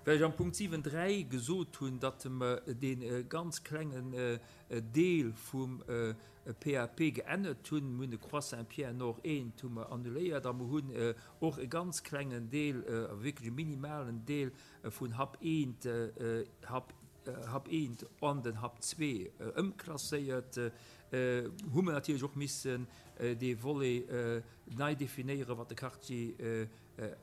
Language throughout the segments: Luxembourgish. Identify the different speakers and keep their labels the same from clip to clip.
Speaker 1: Well ech am Punkt 7, 3 gesot hunn, datt mer dee ganz klengen Deel vum PAP geännert hunn, mir hunn de Croix Saint-Pierre Nord eent hu mer annuléiert a mer hunn och e ganz klengen Deel, wierklech e minimalen Deel vun Hub eent, Hub, Hub eent an den Hub zwee ëmklasséiert, hu mer natierlech och missen dee Volet nei definéieren, wat de Quartier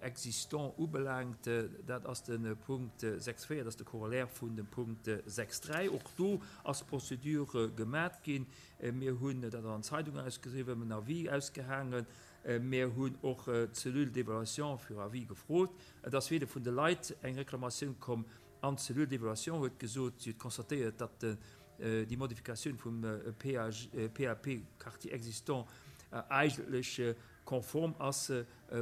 Speaker 1: existant ubelaangt. Dat ass de Punkt 6,4, dat ass de Corollaire vun dem Punkt 6,3. Och do ass d'Procédure gemat ginn. Mir hunn dat an der Zeitung ausgeschriwwen, en Avis ausgehaangen. Mir hunn och d'Cellule d'évaluation fir Avis gefrot. Et ass weder vun de Leit eng Reklamatioun komm an d'Cellule d'évaluation huet gesot, si huet constatéiert, datt déi Modifikatioun vum PAP Quartier existant eigentlech konform ass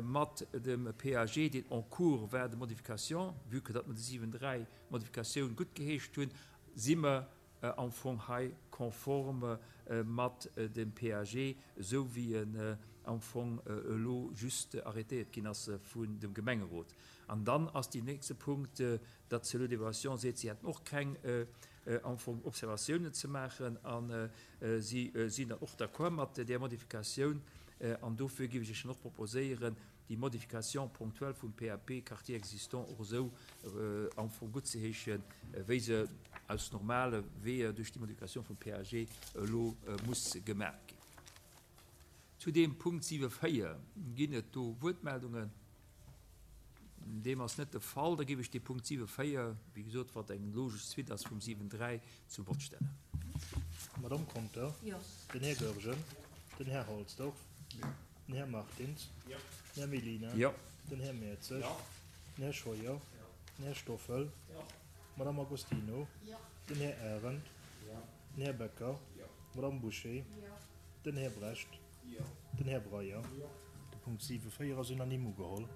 Speaker 1: mat dem PAG, deen en cours war de modification. Vue que datt mer déi 7, 3 Modifikatioun guttgeheescht hunn, si mer am Fong hei konform mat dem PAG, esou wéi en am Fong elo just arrêtéiert ginn ass vun dem Gemengerot. An dann ass deen nächste Punkt, datt d'Cellule d'évaluation seet, si hätten och keng am Fong Observatiounen ze maachen a si sinn dann och d'accord mat där Modifikatioun. An dofir géif ech Iech dann och proposéieren, déi Modification ponctuelle vum PAP Quartier existant och esou am Fong guttzeheeschen, wéi se aus normale Weeër duerch déi Modifikatioun vum PAG elo muss gemaach ginn. Zu deem Punkt 7,4 ginn et do Wuertmeldungen? Deem ass net de Fall. Da géif ech dee Punkt 7,4, wéi gesot, wat eng logesch Suite ass vum 7,3, zum Vott stellen.
Speaker 2: D'Madame Conter, den Här Goergen, den Här Halsdorf, den Här Martins, den Här Mellina, den Här Mertzig, den Här Scheuer, den Här Stoffel, d'Madame Agostino, den Här Arendt, den Här Becker, d'Madame Bouché, den Här Brecht, den Här Breyer. De Punkt 7,4 ass unanime ugeholl.